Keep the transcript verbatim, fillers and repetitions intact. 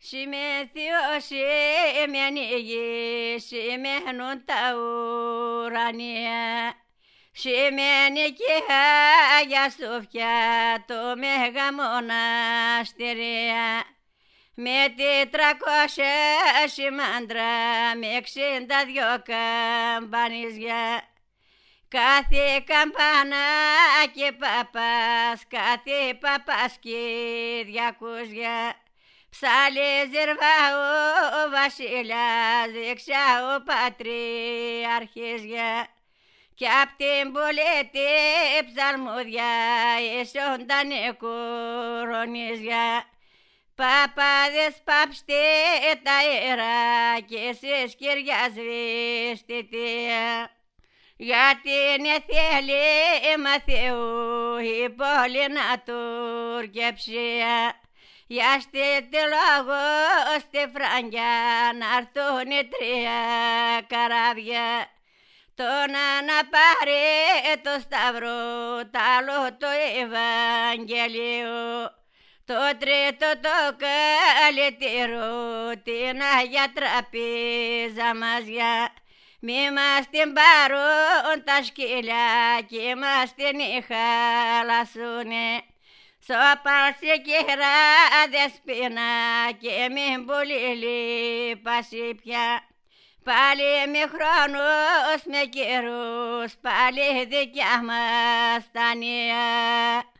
Σημειωθείο σημαίνει γη, σημαίνουν τα ουρανία. Σημαίνει και Άγια Σοφιά το Μέγα Μοναστηρία. Με τετρακόσια σημάντρα, με εξήντα δυο καμπανίζια. Κάθε καμπάνα και παπάς, κάθε παπάς και διακούσια. Ψάλε ζερβά ο βασιλιάς, δεξιά ο πατριαρχίζια. Κι απ' την πολέτη ψαλμούδια, εσόντανε κορονίζια. Παπάδες πάψτε τα ιερά και εσείς Κυριά σβήστητια. Γιατί είναι θέλει Μαθαίου η πόλη να τουρκεψία. Για στείλτε λόγο στη Φραγκιά να έρθουνε τρία καράβια. Το να πάρει το σταυρό, τ' άλλο το Ευαγγελίο. Το τρίτο το καλλιτήρο, την Αγία Τραπέζα μας για. Μη μας την πάρουν τα σκύλια κι μας την χαλασούνε. Σώπασε κύρα δεσπίνα και μην πολύ λείπασαι πια. Πάλι με χρόνους με καιρούς, πάλι δικιά μας τα νέα.